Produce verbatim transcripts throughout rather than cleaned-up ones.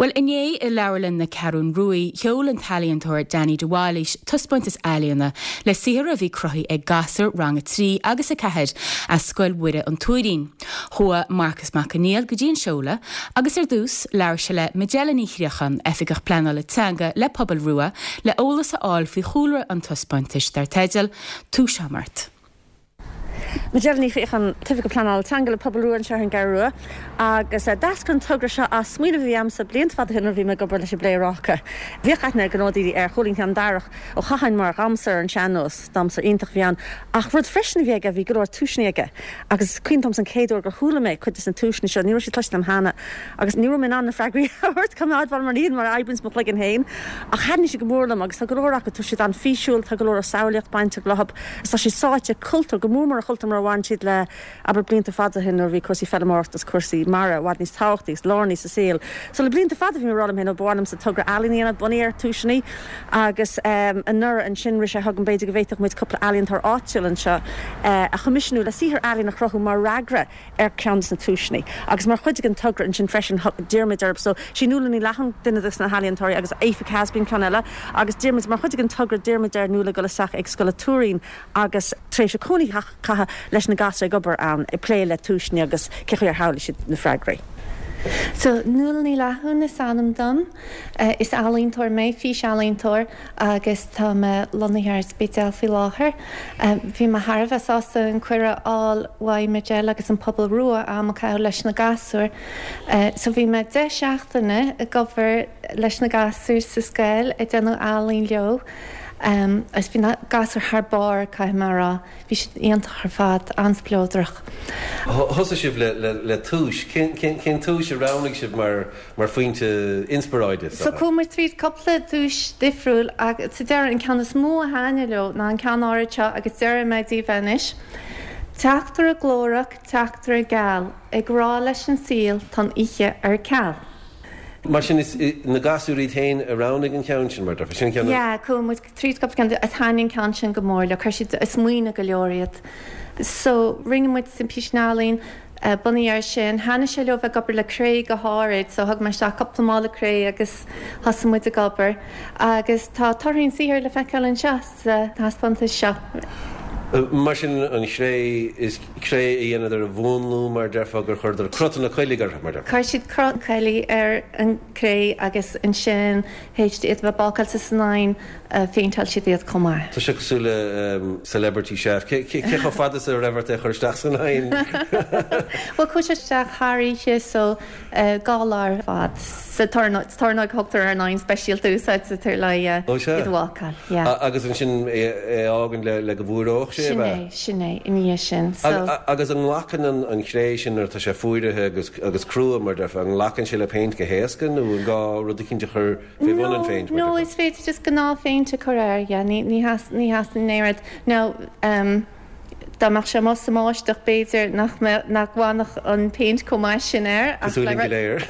Well inné i Leabharlann na Ceathrún Rua, sheol an t-ealaíontóir Danny de Bhailís taispeántas ealaíne le saothar a bhí cruthaithe ag gasúir rang a trí agus a ceathair as Scoil Mhuire an Tuairín. Chuaigh Marcas Mac Conghail go dtí an seoladh agus ar dtús labhair sé le Majella Ní Chríochan, Oifigeach Pleanála Teanga le Pobal Rua le eolas a fháil faoi chúlra an taispeántais dar teideal Túiseamart. Majella Ní Chríochan Oifigeach Pleanála Teanga le Pobal Rua anseo ar an gCeathrú Rua agus d'eascair an togra seo as smaoineamh a bhí agamsa blianta fada ó shin bhí mé ag obair leis an bPléaráca. Bhíodh aithne ag daoine ar Chóilín Cheann Darach ó chaithinn mar dhamhsóir ar an sean-nós, damhsóir iontach a bhí ann, ach rud freisin a bhí aige bhí go leor túiseanna aige. Agus cuimhin liom an chéad uair gur chuala mé cuid de na túiseanna seo, ní raibh siad cloiste agam cheana agus ní raibh mé in ann na freagraí a thabhairt go maith mar níl mar oibríonn mo chloigeann féin ach thaitnigh sé go mór liom agus tá go leor acu tá siad an-fhísiúil, tá go leor samhlaíocht bainteach leo, tá siad sáite cultúr go mór mór a chultúr mar a bhain siad le abair blianta fada ó shin nuair bhí cúrsaí feirmeoireachta is cúrsaí mara i bhfad níos tábhachtaí is lárnaí sa saol. So le blianta fada bhí mé ag rá liom féin ba mhaith liomsa togra ealaíne bunaithe ar túiseanna agus um, anuraidh ansin rith sé chugam b'fhéidir go bhféadfadh muid cúpla ealaíontóir áitiúil anseo uh, a choimisiúnú le saothar ealaíne a chruthú mar fhreagra ar cheann de na túiseanna. Agus mar chuid den togra ansin freisin d'iarr muid orthu so sí Nuala Ní Leathan duine de na healaíontóirí agus Aoife Casbin ceann eile agus d'iarr muid mar chuid den togra d'iarr muid ar Nuala dul isteach ag Scoil an Tuairín agus tréimhse cónaí a chaitheamh leis na gasúir ag obair ann ag plé le túiseanna agus cé ar shamhlaigh siad na freagraí. So Nuala Ní Leathan is ainm dom uh, is ealaíontóir mé físealaíontóir agus tá mé lonnaithe ar an Spidéal faoi láthair. Uh, bhí mé thar a bheith sásta an cuireadh a fháil ó Majella agus an Pobal Rua am a chaitheamh leis na gasúir. Uh, so bhí mé deich seachtaine ag obair leis na gasúir sa scoil ag déanamh ealaín leo. Um, agus bhí na gasúir thar barr caithfidh mé a rá, bhí siad iontach ar fad an-spleodrach. Thosaigh sibh le, le, le túis, cén, cén, cén túis a roghnaigh sibh mar, mar phointe inspioráide? So chuaigh muid tríd cúpla túis difriúil agus sa deireadh an ceann is mó a thaitnigh leo ná an ceann áirithe seo agus déarfaidh mé daoibh anois. Teachtaire glórach, teachtaire geal, ag rá leis an saol tá an oíche ar ceal. Mar sin is na gasúir iad féin a roghnaigh an ceann sin mar sin ceann Yeah, chuaigh muid tríd cúpla ceann is thaitnigh an ceann sin go mór le chuir siad ag smaoineamh go leor iad. So rinne muid an píosa ealaín uh, bunaithe air sin, thaitnigh sé leo bheith ag obair le cré go háirid, so thug mé isteach cúpla mála cré agus thosaigh muid ag obair. Agus tá torthaí an tsaothair le feiceáil anseo sa taispeántas seo. Mar sin an chré is cré a dhéanadar a mhúnlú mar déarfá gur chuireadar cruth na coiligh orthu mar Chuir siad cruth coiligh ar an cré agus ansin théis iad bheith bácáilte san oigheann phéinteáil siad iad chomh maith. Tá sé cosúil le um, celebrity chef. Cé chomh fada is a raibh ort é chur isteach san oigheann? Well chuaigh sé isteach thar oíche so dhá lá ar fad sa tornóg thugtar ar an oigheann speisialta úsáidtear le iad a bhácáil. Agus ansin é fhágáil le le go bhfuaródh sé Sin é sin é in dhiaidh sin. So agus an nglacann an an chré sin nuair tá sé fuaraithe agus agus crua mar déarfá an nglacann sé le péint go héasca nó an gá rud eicínt a chur fé bhun an phéint No is féidir just gnáthphéint a chur air yeah, ní ní has ní has néad no um, Dá mbeadh sé amuigh sa mbáisteach b'fhéidir nach nach bhfanfadh an péint chomh maith sin air léir.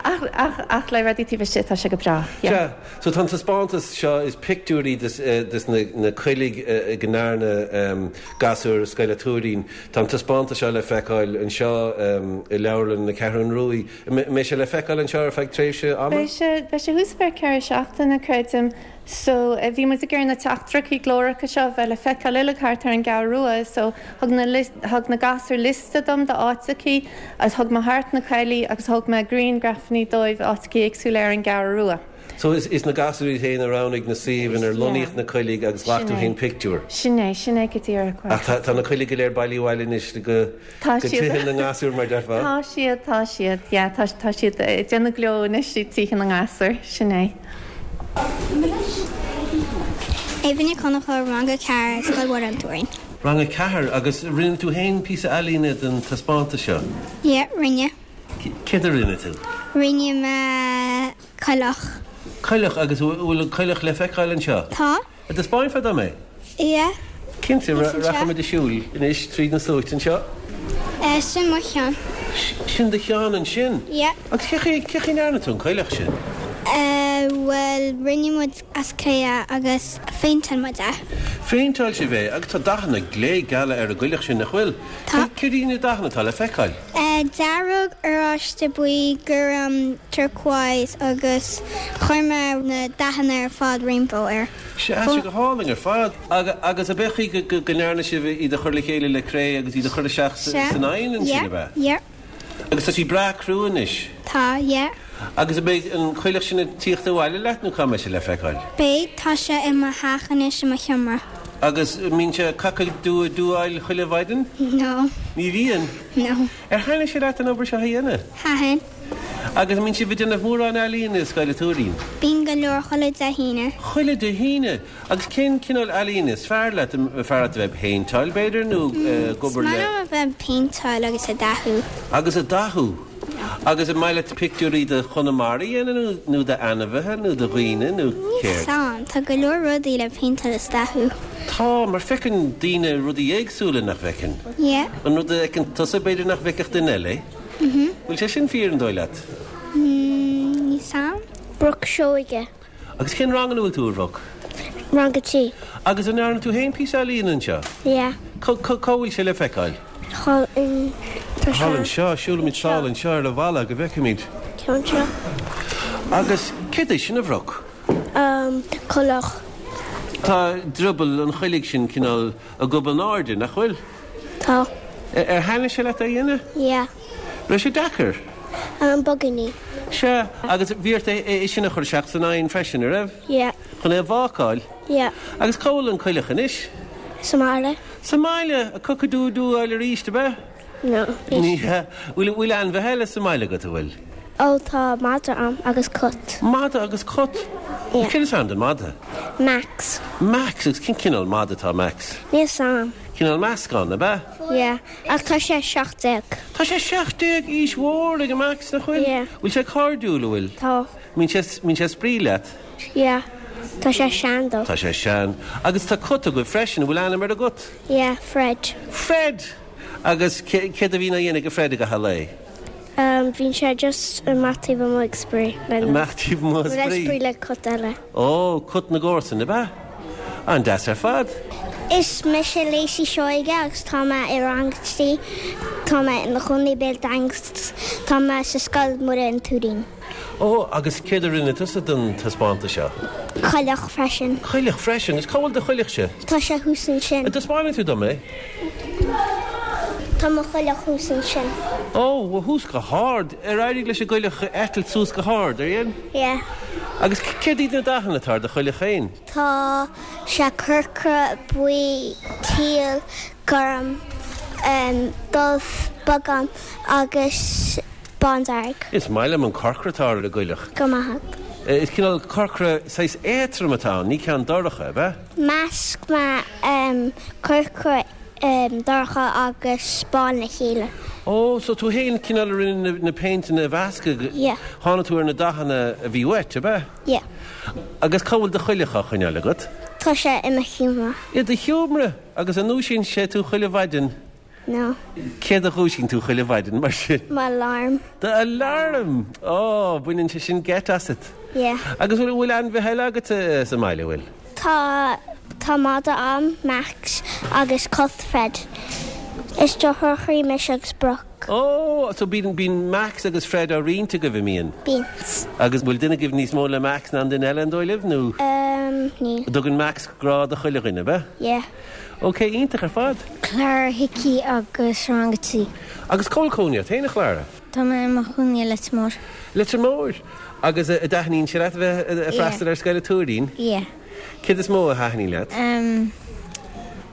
ach le rudaí taobh istigh tá sé go breá. Yeah. So tá taispeántas seo is pictiúirí des, des na, na coiligh go ndearna um, gasúir Scoil an Tuairín. Tá taispeántas seo le feiceáil anseo um, i Leabharlann na Ceathrún Rua. Mbeidh sé le feiceáil anseo ar feadh tréimhse ama? Beidh sé thuas ar ceithre seachtaine creidim. So uh, bhí muid ag iarraidh na teachtaireachtaí glóracha seo bheith le feiceáil uilig thart ar an gCeathrú Rua, so thug na, thug na gasúir liosta dom d'áiteachaí agus thug mé thart na coiligh agus thug mé grianghrafanna dóibh áiteachaí éagsúla ar an gCeathrú Rua. So is, is na gasúir féin a roghnaigh na suímh inar lonnaíodh na coiligh agus ghlac tú féin pictiúr. Sin é sin é go díreach. Ach tá na coiligh go léir bailithe abhaile anois go go tithe na ngasúr mar déarfá? Tá siad tá siad yeah, tá tá siad déanamh gleo anois i tithe na ngasúr sin é. Éabha Nic Conchúir rang a ceathair Scoil Mhuire an Tuairín. Rang a ceathair agus rinne tú féin píosa ealaíne don taispeántas seo? Yeah, rinne. Céard a rinne tú? Rinne mé coileach. Coileach agus bhfuil an coileach le feiceáil anseo? Tá. An dtaispeánfá dom é? Yeah. Cinnte rachaimid ag siúl anois tríd na sluaite anseo? Sin mo cheann. Sin do cheann ansin? Yeah. Agus cé chaoi ndearna tú an coileach sin? Uh, well, rinne muid as cré agus phéinteáil muid é. Phéinteáil sibh é agus tá dathanna glé geala ar an gcoileach sin nach bhfuil. Tá. Céard iad na dathanna atá le feiceáil? Uh, dearg oráiste buí gorm turquoise agus chuir mé na dathanna ar fad rainbow air. Sé sé go hálainn ar fad agus ab é go ndearna sibh iad a chur le chéile le cré agus iad a chur isteach san oigheann ansin ab ea? Yeah. Agus tá sí breá crua anois. Tá, yeah. Agus an mbeidh an coileach sin ag tíocht abhaile leat nó cá mbeidh sé le feiceáil? Beidh tá sé i mo theach anois i mo sheomra. Agus mbíonn sé cock-a-doodle-dooáil chuile mhaidin? No. Ní bhíonn? No. Ar thaitnigh sé leat an obair seo a dhéanamh? Thaitin. Agus mbíonn sibh ag déanamh mórán ealaíne i Scoil an Tuairín? Bíonn go leor chuile Dé hAoine. Chuile Dé hAoine? Agus cén cineál ealaíne is fearr leat? An fearr leat a bheith ag péinteáil b'fhéidir nó ag obair le. Is maith liom a bheith ag péinteáil agus ag dathú. Agus ag dathú? Agus an maith leat pictiúirí de Chonamara a dhéanamh nó d'ainmhithe nó de dhaoine nó Níl céard? 'fhios a'm, tá go leor rudaí le péinteáil is dathú. Tá, mar feiceann daoine rudaí éagsúla nach bhfeiceann? Yeah. An rud a fheiceann tusa b'fhéidir nach bhfeicfeadh duine eile é? Mhm. Bhfuil sé sin fíor an dóigh leat? Níl 'fhios a'm. Brooke Seoige. Agus cén rang ina bhfuil tú, a Bhrooke? Rang a trí. Agus an ndearna tú féin píosa ealaíne anseo? Yeah. Cá bhfuil sé le feiceáil? Thall in Thall anseo, siúlfaimid sall anseo ar an bhalla go bhfeicfimid. Ceann seo. Agus céard é sin a Bhrooke? Um, coileach. Tá drioball an choiligh sin cineál ag gob in airde, nach bhfuil? Tá. Ar thaitnigh sé leat é a dhéanamh? Yeah. Raibh sé deacair? Um, beagáinín. Sea, agus bhí ort é sin a chur isteach san oigheann freisin, an raibh? Yeah. Chun é a bhácáil? Yeah. Agus cá bhfuil an coileach anois? Sa mbaile. Sa mbaile, ag cock-a-doodle-dooáil arís, ab ea? No. Ní hea. Bhfuil bhfuil ainmhithe eile sa mbaile agat, an bhfuil? Ó, tá madra a'm agus cat. Madra agus cat? Yeah. Cén is ainm don madra? Max. Max, agus cén cineál madra atá Max? Níl 'fhios a'm. Cineál meascán, ab ea? Yeah, ach tá sé seacht déag. Tá sé seacht déag, aois mhór ag Max, nach bhfuil? Yeah. Bhfuil sé cairdiúil, an bhfuil? Tá. Mbíonn sé mbíonn sé ag spraoi leat? Yeah. Tá sé sean though. Tá sé sean. Agus tá cat agaibh freisin, an bhfuil ainm ar an gcat? Yeah, Fred. Fred! Agus céard a bhíonn á dhéanamh ag Fred i gcaitheamh an lae? Um, bíonn sé just amach taobh amuigh ag spraoi. Amach taobh amuigh ag spraoi? Spraoi le cat eile. Ó, cat na gcomharsan, ab ea? An-deas ar fad. Is mise Lacey Seoige agus tá mé i rang trí, tá mé i mo chónaí Béal Daingean, tá mé sa scoil Muire an Tuairín. Ó, agus céard a rinne tusa don taispeántas seo? Coileach freisin. Coileach freisin, agus cá bhfuil do choileachse? Tá sé thuas ansin. An dtaispeánfaidh tú dom é? Tá mo choileach thuas ansin. Ó, thuas go hard. Ar éirigh leis an gcoileach eitilt suas go hard, ar dhein? Yeah. Agus céard iad na dathanna atá ar do choileach féin? Tá sé corcra, buí, teal, gorm, um, dubh, beagán agus bándearg. Is maith liom an corcra atá ar an gcoileach. Go maith agat. Is cineál corcra saghas éadrom atá ann, ní ceann dorcha, ab ea? Mheasc mé um, corcra um, dorcha agus bán le chéile. Ó, so tú féin cineál a rinne na, na péinteanna a mheascadh? Yeah. Tháinig tú ar na dathanna a bhí uait, ab ea? Yeah. Agus cá bhfuil do choileach á choinneáil agat? Tá sé i mo sheomra. I do sheomra? Agus an ndúisíonn sé tú chuile mhaidin? No. Céard a dhúisíonn tú chuile mhaidin mar sin? M'alarm. D'alarm! Ó, baineann sé sin geit asat. Yeah. Agus bhfuil bhfuil ainmhithe eile agat sa mbaile, bhfuil? Tá tá madra a'm, Max, agus cat Fred. Is deartháireacha mise agus Brooke. Ó, so bíonn bíonn Max agus Fred á roinnt agaibh, an mbíonn? Bíonn. Agus bhfuil duine agaibh níos mó le Max ná an duine eile an dóigh libh, nó? Um, níl. Tugann Max grá do chuile dhuine, ab ea? Yeah. Ok, iontach ar fad. Clara Hickey agus rang a trí. Agus cá bhfuil cónaí ort féin, a Chlara? Tá mé i mo chónaí i Leitir Móir. Leitir Móir? Agus an dtaitníonn sé leat a bheith ag freastal ar Scoil an Tuairín? Yeah. Céard is mó a thaitníonn leat? Um,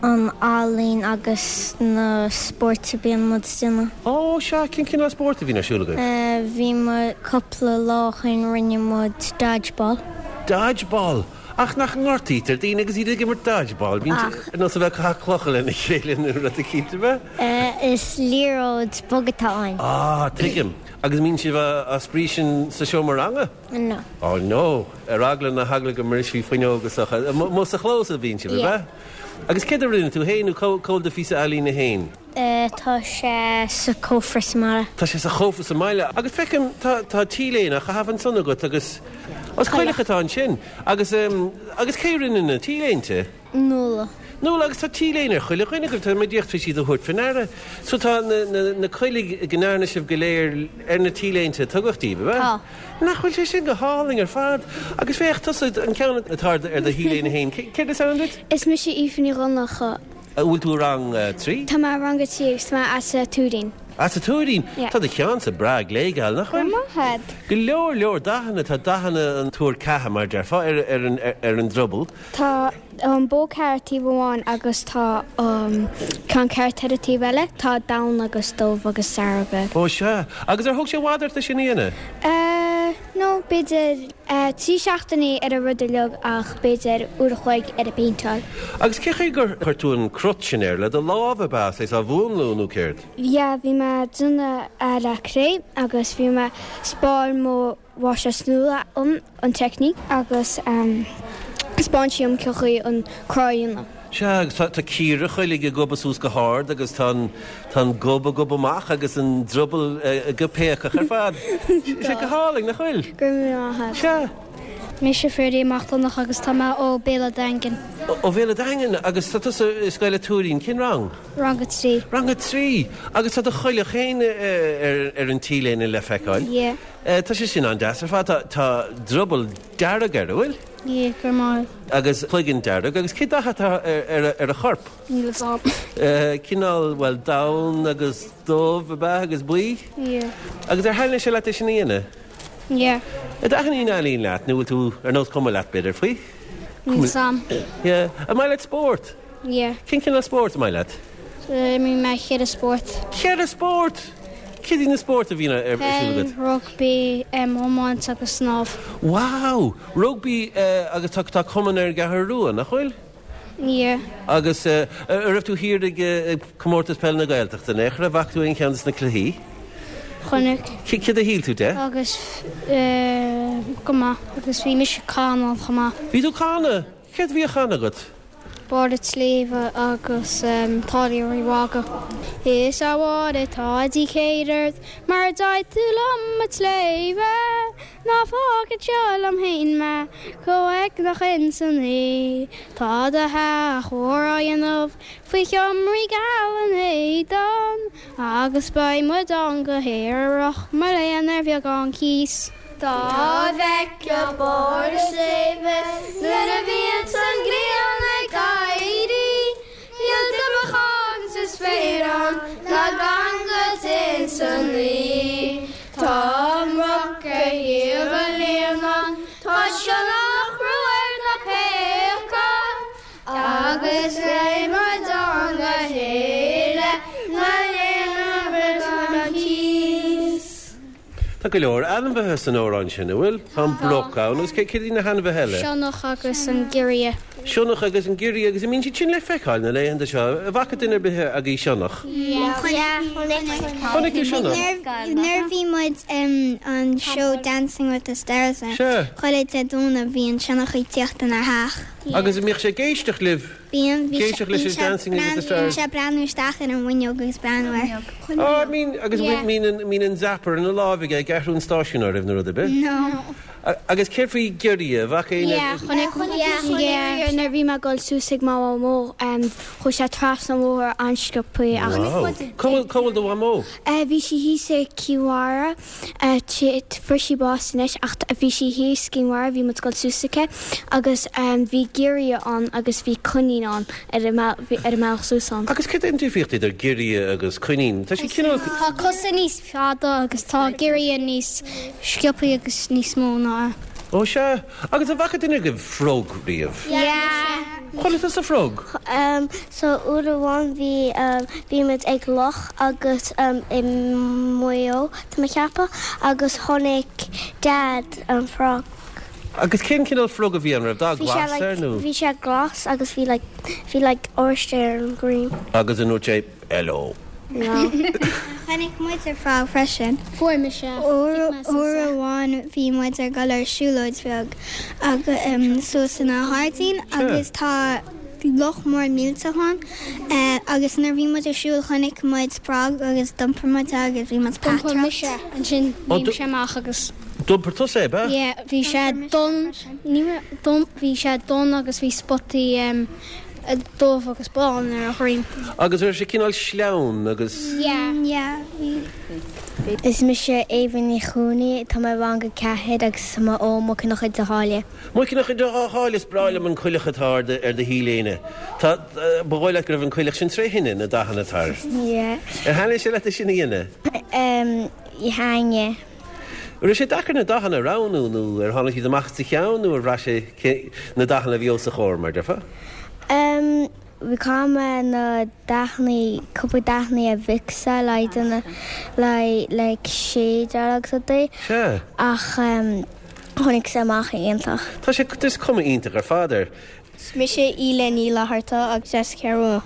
an ealaín agus na spóirt a bíonn muid ag déanamh. Ó, sea, cén cineál spóirt a bhíonn ar siúl agaibh? Uh, bhí muid cúpla lá ó shin rinne muid dodgeball. Dodgeball? Ach nach ngortaítear daoine agus iad ag imirt dodgeball? Bíonn Ach. ar nós a bheith ag caitheamh clocha lena chéile nó rud eicínt, ab ea? Uh, is liathróid bog atá ann. Ah, tuigim. Agus mbíonn sibh á spraoi sin sa seomra ranga? No. Oh no, ar eagla na heagla go mbrisfí fuinneog is dócha. Amuigh sa chlós a bhíonn sibh, ab ea? Yeah. Agus céard a rinne tú féin nó cá bhfuil do phíosa ealaíne féin? Tá sé sa cófra sa mbaile. Tá sé sa chófra sa mbaile agus feicim tá tá T-léine á chaitheamh ansan agat agus os coileach atá ansin agus um, agus cé rinne na T-léinte? Nuala. Nuala agus tá T-léine ar chuile dhuine agaibh tá mé díreach tar éis iad a thabhairt faoi ndeara. So tá na, na, na coiligh go ndearna sibh go léir ar na T-léinte a tugadh daoibh, ab ea? Tá. Nach bhfuil sé sin go hálainn ar fad? Agus féach tusa an ceann atá ar do T-léine féin. Céard is ainm duit? Is mise Aoife Ní Dhonncha. An bhfuil tú i rang trí? Tá mé i rang a trí agus tá mé as an Tuairín. As an Tuairín? Yeah. Tá do cheannsa breá gléigeal, nach bhfuil? Maith agat. Go leor leor dathanna, tá dathanna an tuar ceatha mar déarfá ar, ar, an, ar, ar an druball. Tá an bó ceart taobh amháin agus tá um, ceann ceart ar an taobh eile, tá donn agus dubh agus dearg. Ó sea. Agus ar thóg sé i bhfad ort é sin a dhéanamh? Uh, no, b'fhéidir uh, trí seachtainí ar an rud uilig ach b'fhéidir uair a chloig ar an bpéinteáil. Agus cé chaoi gur chuir tú an crot sin air le do lámh ab ea, é á mhúnlú nó céard? Yeah, bhí mé ag déanamh le cré agus bhí mé 'spáin mo mháistreás Nuala an an teicníc agus um, 'spáin sí dom cén chaoi an cruth a dhéanamh. Sea, agus tá, tá cíora choiligh ag gobadh suas go hard agus tá an, tá an gob ag gobadh amach agus an druball uh, go péacach ar fad. Sé go hálainn, nach bhfuil? Go raibh maith agat. Sea. Mise Ferdy Mac Donncha agus tá mé ó Béal an Daingin. Ó Bhéal an Daingin agus tá tusa i scoil an Tuairín, cén rang? Rang a trí. Rang a trí agus tá do choileach féin ar, ar an T-léine le feiceáil. Yeah. Uh, tá sé sin an-deas ar fad tá, tá druball dearg air, an bhfuil? Yeah, go maith. Agus cloigeann dearg agus cé dath atá ar, ar, ar a chorp? Níl a fhios agam. Uh, cineál well donn agus dubh ab ea agus buí? Yeah. Agus ar thaitin sé leat é sin a dhéanamh? Yeah. An dtaitníonn ealaín leat nó bhfuil tú ar nós cuma leat b'fhéidir faoi? Níl a fhios agam. Yeah. An maith leat spórt? Yeah. Cén cineál spórt an maith leat? Bhí mé ceithre spórt. Ceithre spórt? Cad iad na spóirt a bhíonn ar siúl Peil, agat? rugbaí, um, iomáint agus snámh. Wow! Rugbaí uh, agus tá tá cumann ar an gCeathrú Rua, nach bhfuil? Yeah. Agus uh, ar raibh tú thiar ag uh, ag comórtas peil na Gaeltachta, ne? An bhfaca tú aon cheann de na cluichí? Chonaic. Céard a shíl tú de? Agus uh, go maith agus bhí mise ag canadh chomh maith. Bhí tú ag canadh? Céard a bhí á chanadh agat? Barr an tSléibhe agus um, Táilliúir Uí Mhaga. Is a Mháire tá dícéad ort mar d'aghaidh tú liom an tsléibhe, Ná fág anseo liom féin mé chomh uaigneach insan oíche. Tá do theach úr á dhéanamh faoi sheomraí geala an Éadain, agus beidh muid ann go haerach mo léan ar bheagán cíos. Dá bhfeicfeá barr an tsléibhe nuair a bhíonns an ghrian ag éirí, Níl duibheagán sa spéir ann ná gangailt insan ngaoth. Tá an broc ar thaobh an líonáin, tá sionnach rua ar na péaca, agus beidh muid ann le chéile mo léan ar bheagán cíos. Tá go leor ainmhithe san amhrán sin, an bhfuil? Tá an broc ann agus cé céard iad na hainmhithe eile? Sionnach agus an giorria. Sionnach agus an giorria agus an mbíonn siad sin le feiceáil na laethanta seo, an bhfaca duine ar bith agaibh sionnach. Chonaic tú sionnach? Nuair bhí muid um, an show Dancing with the Stars Sea. Chuile Dé Domhnaigh bhí an sionnach ag tíocht inár dteach. Agus an mbíodh sé ag éisteacht libh? Bíonn bhí Ag éisteacht leis an Dancing with the Stars. sé breathnú isteach ar an bhfuinneog agus breathnú air. Á, mín agus Yeah. mín an mín an zapper ina lámh aige ag athrú an stáisiún oraibh nó rud ar bith? No. A- Agus céard faoi giorria, an bhfaca Yeah, chonaic Yeah. Nuair bhí mé ag dul suas ag mo mhamó chuaigh sé trasna an bhóthair an-sciobtha ach Cá bhfuil do mhamó? Eh, Bhí sí thíos i gCill Mhara fuair sí bás anois ach bhí sí thíos i gCill Mhara bhí muid ag dul suas aici agus um, bhí giorria ann agus bhí coinín ann ar an ar an mbealach suas ann. Agus céard é an difríocht idir giorria agus coinín? Tá sé cineál Tá cosa níos fada agus tá giorria níos sciobtha agus níos mó ná. Ó sea, agus an bhfaca duine agaibh frog riamh. Yeah. Chonaic tusa frog? Um, so uair amháin bhí um, bhí muid ag loch agus um, i Maigh Eo tá mé ag ceapadh agus chonaic Dad an frog. Agus cén cineál frog a bhí ann raibh dath Bhí sé glas like, air nó? bhí sé glas agus bhí like, bhí like orange ar an green. Agus an ndúirt sé hello. No. Chonaic muid ar frog freisin. Fuair mise. Uair amháin bhí muid ag dul ar siúlóid bheag agus um, suas ina hairdín agus tá Bhí loch mór millteach ann agus nuair bhí muid ag siúl chonaic muid frog agus d'iompair muid é agus bhí muid D'iompair peataireacht. mise ansin léim sé amach agus. D'iompair tusa é, ab ea? Yeah, bhí sé donn, ní raibh, donn, bhí sé donn agus bhí spotaí dubh agus bán ar a dhroim. Agus raibh sé cineál sleamhain agus. Yeah. Yeah, bhí. Is mise Éabha Ní Chuanaigh, tá mé i rang a ceathair agus tá mé ó Mhuice na Chuid Sháile. Muice na Chuid Sháile, is breá liom an coileach atá ar do, ar do T-léine. Tá, ba dhóigh leat go raibh an coileach sin tré thine, na dathanna atá air. Yeah. Ar thaitnigh sé leat é sin a dhéanamh? Um, thaitnigh. Raibh sé deacair na dathanna a roghnú nó ar tháinig siad amach as do cheann nó ar bhraith sé na dathanna a bhí os do chomhair, mar déarfá? Um, bhí caithfidh mé na dathanna, cúpla dathanna a mhixáil le déanamh le like shade agus rudaí. Sea. Ach um, tháinig sé amach iontach. Tá sé, is cuma iontach ar fad air. Is mise Íle Ní Fhlatharta agus as Ceathrú.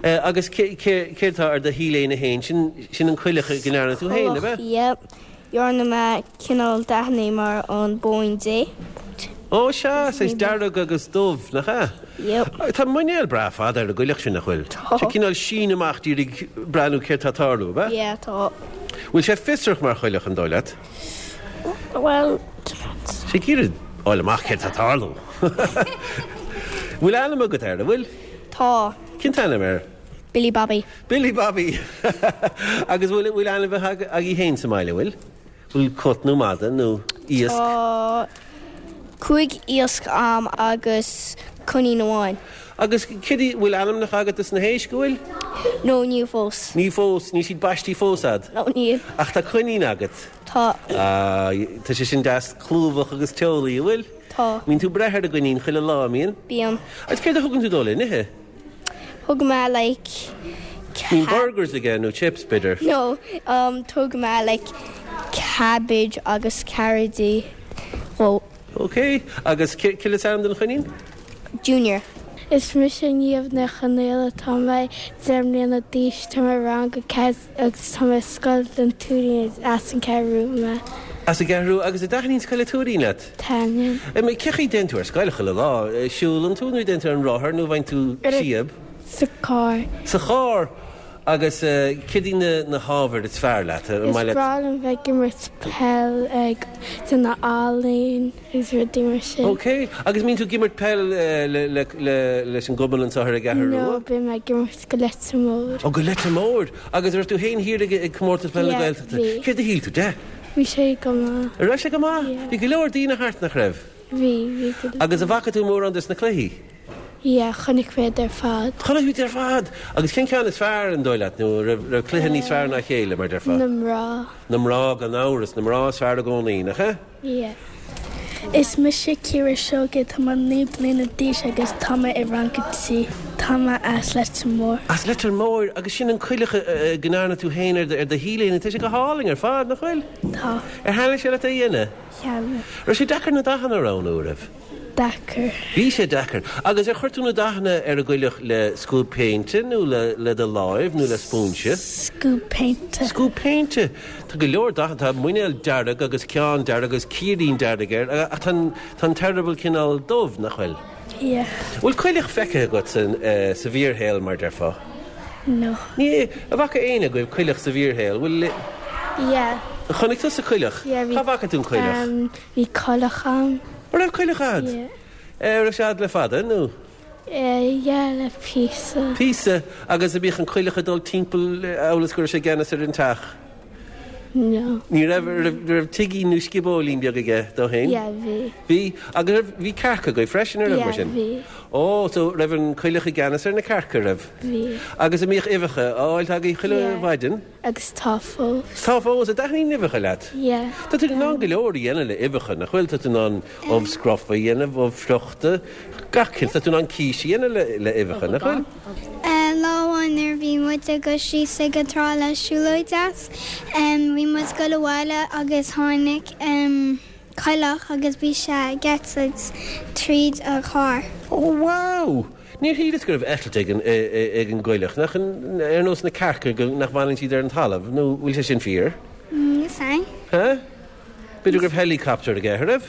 Eh, agus céard atá ar do T-léine féin, sin, sin an coileach go ndearna tú féin, ab ea? Yep. Dhearna mé cineál dathanna mar an Bóín Dé. Ó sea, saghas dearg agus dubh, nach ea? Yep. Tá muinéal breá fada ar an gcoileach sin, nach bhfuil? Tá. Sé cineál síneadh amach d'iarraidh breathnú céard tá ag tarlú, ab ea? Yeah, tá. Bhfuil sé fiosrach mar choileach, an dóigh leat? Well, depends. Sé ag iarraidh fháil amach céard tá ag tarlú. Bhfuil ainm agat air, an bhfuil? Tá. Cén t-ainm air? Billy Bobby. Billy Bobby! Agus bhfuil bhfuil ainmhithe agaibh féin sa mbaile, bhfuil? Bhfuil cat nó mada nó iasc? Tá cúig iasc a'm agus coinín amháin. Agus céard í, bhfuil ainmneacha agat dos na héisc, an bhfuil? No, níl fós. Níl fós, níl siad baistí fós a'd? No, níl. Ach tá coinín agat? Tá. Ah, tá sé sin deas clúmhach agus teolaí, an bhfuil? Tá. Mbíonn tú ag breith ar an gcoinín chuile lá, an mbíonn? Bíonn. Agus céard a thugann tú dó le n-ithe? Thug mé like Bíonn burgers aige nó chips, b'fhéidir? No, um, thug mé like cabbage agus carrotaí dhó. Ok, agus céard is ainm don choinín? Junior. Is mise Niamh Ní Chonaola, tá mé deich mbliana d'aois, tá mé rang a ceathair agus tá mé Scoil an Tuairín as an Cheathrú mé. As an gCeathrú agus an dtaitníonn Scoil an Tuairín leat? Taitníonn. Cén chaoi a dtéann tú ar scoil chuile lá? Siúlann tú nó dtéann tú ar an rothar nó bhfaigheann tú síob? Sa charr. Sa charr! Agus céard iad na na hábhair is fearr leat? Is breá liom bheith ag imirt peil ag déanamh ealaín agus rudaí mar sin. Ok, agus mbíonn tú ag imirt peil le le le leis an gcumann anseo ar an gCeathrú Rua? No, bím ag imirt go Leitir Móir. Ó, go Leitir Móir! Agus raibh tú féin thiar ag ag comórtas peil na Yeah, Gaeltachta. bhí. Céard a shíl tú de? Bhí sé go maith. An raibh sé go maith? Yeah. Bhí go leor daoine thart, nach raibh? Bhí, bhí go leor. Agus an bhfaca tú mórán des na cluichí? Yeah, chonaic mé iad ar fad. Chonaic tú iad ar fad! Agus cén ceann is fearr, an dóigh leat, nó raibh, raibh cluiche níos fearr ná a chéile, mar déarfá? Na mná. Na mná, gan amhras, na mná is fearr i gcónaí, nach ea? Yeah. Is mise Ciara Seoige, tá mé naoi bliana d'aois agus tá mé i rang a trí. Tá mé as Leitir Móir. As Leitir Móir, agus sin an coileach go ndearna tú féin ar do, ar do T-léine, tá sé go hálainn ar fad, nach bhfuil? Tá. Ar thaitnigh sé leat é a dhéanamh? Thaitnigh. Raibh sé deacair na dathanna a roghnú, raibh? Deacair. Bhí sé deacair. Agus ar chuir tú na dathanna ar an gcoileach le scuab péinte nó le le do láimh nó le spúinse? Scuab péinte. Scuab péinte. Tá go leor dathanna, tá muinéal dearg agus ceann dearg agus círín dearg air, ach tá an tá an t-eireaball cineál dubh, nach bhfuil? Yeah. Bhfuil coileach feicthe agat san sa bhfíorshaol, mar déarfá? No. Ní, an bhfaca éinne agaibh coileach sa bhfíorshaol? Bhfuil Yeah. Chonaic tusa coileach? Yeah, bhí. Cá bhfaca tú an coileach? Um, bhí coileach a'm. An raibh coileach a'd? Yeah. An raibh sé a'd le fada, nó? Eh, yeah, le píosa. Píosa, agus an mbíodh an coileach ag dul timpeall amhail is go raibh sé i gceannas ar an teach? No. Ní raibh, raibh, raibh tigín nó sciobóilín beag aige dó féin? Yeah, bhí. Bhí, agus raibh, bhí cearca agaibh freisin, an raibh mar Yeah, sin? bhí. Ó, so raibh an coileach i gceannas ar na cearca, raibh? Bhí. Agus an mbíodh uibheacha á fháilt agaibh chuile Yeah. mhaidin? Agus tá fós. Tá fós, an dtaitníonn uibheacha leat? Yeah. Tá tú in ann go leor a dhéanamh le uibheacha, nach bhfuil? Tá tú in ann ubh scrofa a dhéanamh, ubh friochta, gach cinn. Tá tú in ann cíos a dhéanamh le le uibheacha, nach bhfuil? Lá amháin nuair a bhí muid ag dul síos ag an trá le siúlóid deas, bhí muid ag dul abhaile agus tháinig coileach agus bhí sé ag eitilt tríd an charr. Ó wow! Níor shíleas go raibh eitilt ag an ag an gcoileach, nach ar nós na cearca go nach bhfanann siad ar an talamh, nó bhfuil sé sin fíor? Níl 'fhios a'm. Há? B'fhéidir go raibh helicopter aige, an raibh?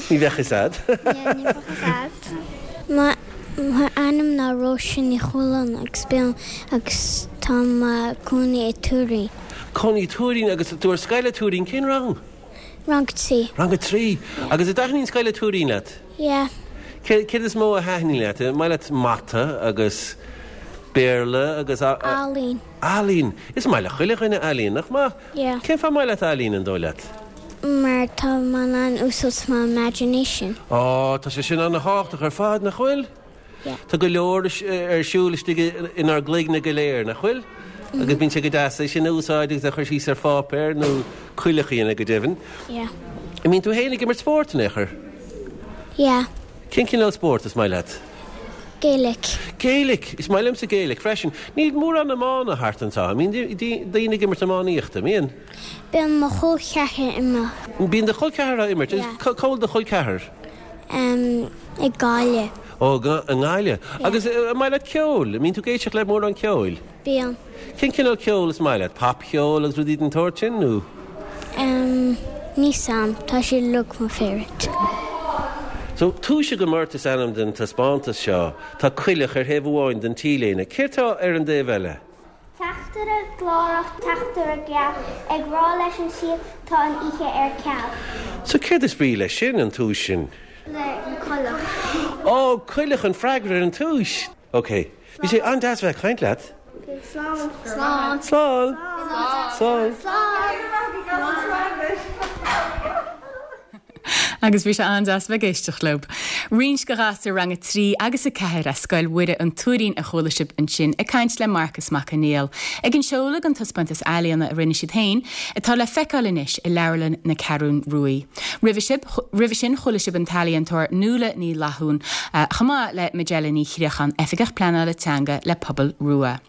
Ní bheadh 'fhios a'd. Yeah, ní bheadh 'fhios a'd. M'ainm ná Róise Ní Chualáin agus bíonn agus tá mé cónaí i Tuairín. Cónaí Tuairín agus tú ar scoil i Tuairín cén rang? Rang trí. Rang a trí. Agus an dtaitníonn scoil i Tuairín leat? Yeah. Céard is mó a thaitníonn leat? Maith leat mata agus Béarla agus Ealaín. Ealaín. Is maith le chuile dhuine ealaín, nach maith? Yeah. Cén fáth maith leat ealaín an dóigh leat? Mar tá mé in ann úsáid mo imagination. Á, tá sé sin an-tábhachtach ar fad, nach bhfuil? Yeah. Tá go leor ar siúl istigh inár gcloigne go léir, nach bhfuil? Agus bíonn sé go deas é sin a úsáid agus a chur síos ar pháipéar nó coileach a dhéanamh go deimhin. Yeah. An mbíonn tú féin ag imirt spóirt in aon chor? Yeah. Cén cineál spóirt is maith leat? Gaelic. Gaelic! Is maith liomsa Gaelic freisin. Níl mórán iomána thart anseo. An mbíonn daoine ag imirt iománaíochta, mbíonn? Bíonn mo chol ceathar imirt. Bíonn do chol ceathar á imirt? Yeah. Cá bhfuil do chol ceathar? Um, i Gaillimh. Ó, i nGaillimh. Agus an maith leat ceol? An mbíonn tú ag éisteacht le mórán ceoil? Bíonn. Cén cineál ceoil is maith leat? Popcheol agus rudaí den tsórt sin nó? Um, níl 's a'm, tá sé uilig mo favourite. So, Túis agam ort is ainm den taispeántas seo. Tá coileach ar thaobh amháin den T-léine. Céard tá ar an dtaobh eile? Teachtaire glórach, teachtaire geal, ag rá leis an saol tá an oíche ar ceal. So céard is brí leis sin, an túis sin? Le an coileach. Ó, coileach an freagra ar an túis. Ok. Bhí sé an-deas bheith ag caint leat. Slán. Slán. Slán. Slán. Slán. Agus bhí sé an-deas bheith ag éisteacht leo. Roinnt de ghasúir rang a trí agus a ceathair as Scoil Mhuire an Tuairín a chuala sibh ansin ag caint le Marcas Mac Conghail. Ag an seoladh den taispeántas ealaíona a rinne siad féin, atá le feiceáil anois i Leabharlann na Ceathrún Ruaidh. Roimhe sib, roimhe sin chuala sibh an t-ealaíontóir Nuala Ní Fhlathúin, chomh maith le Majella Ní Chríocháin, Oifigeach Pleanála Teanga le Pobal Rua.